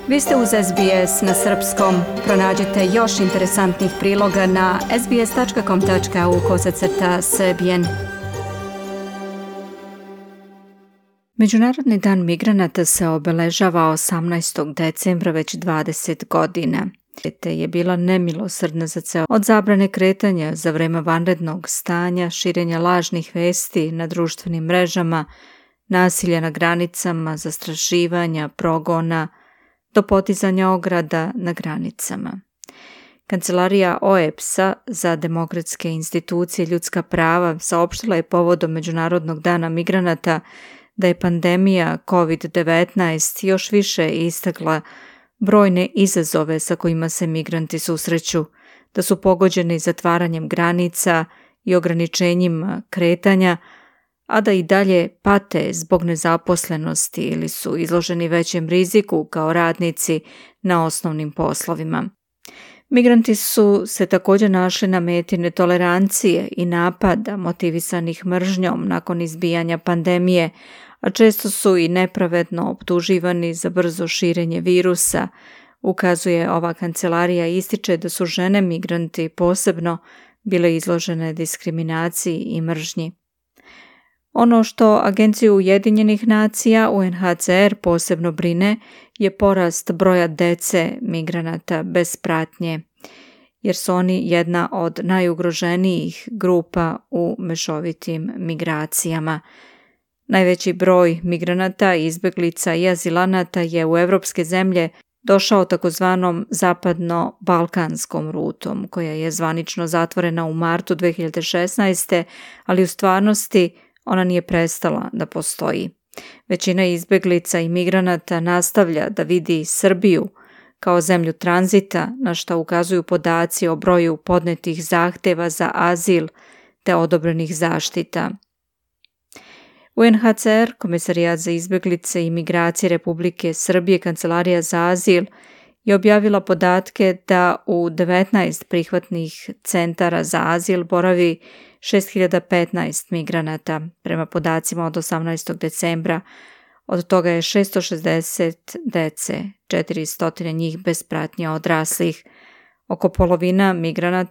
Vi ste uz SBS na srpskom. Pronađite još interesantnih priloga na sbs.com.au/srbijen. Međunarodni dan migranata se obeležava 18. decembra već 20 godina. Te je bila nemilosrdna za ceo od zabrane kretanja za vreme vanrednog stanja, širenja lažnih vesti na društvenim mrežama, nasilja na granicama, zastrašivanja, progona, do podizanja ograda na granicama. Kancelarija OEBS-a za demokratske institucije i ljudska prava saopštila je povodom Međunarodnog dana migranata da je pandemija COVID-19 još više istakla brojne izazove sa kojima se migranti susreću, da su pogođeni zatvaranjem granica i ograničenjima kretanja, a da i dalje pate zbog nezaposlenosti ili su izloženi većem riziku kao radnici na osnovnim poslovima. Migranti su se također našli na meti netolerancije i napada motivisanih mržnjom nakon izbijanja pandemije, a često su i nepravedno optuživani za brzo širenje virusa, ukazuje ova kancelarija i ističe da su žene migranti posebno bile izložene diskriminaciji i mržnji. Ono što Agenciju Ujedinjenih nacija UNHCR posebno brine je porast broja dece migranata bez pratnje, jer su oni jedna od najugroženijih grupa u mešovitim migracijama. Najveći broj migranata, izbeglica i azilanata je u evropske zemlje došao takozvanom zapadno-balkanskom rutom, koja je zvanično zatvorena u martu 2016. ali u stvarnosti ona nije prestala da postoji. Većina izbeglica i migranata nastavlja da vidi Srbiju kao zemlju tranzita, na što ukazuju podaci o broju podnetih zahteva za azil te odobrenih zaštita. UNHCR, Komesarijat za izbeglice i migracije Republike Srbije, Kancelarija za azil, je objavila podatke da u 19 prihvatnih centara za azil boravi 6015 migranata, prema podacima od 18. decembra. Od toga je 660 dece, 400 njih bez pratnje odraslih. Oko polovina migranata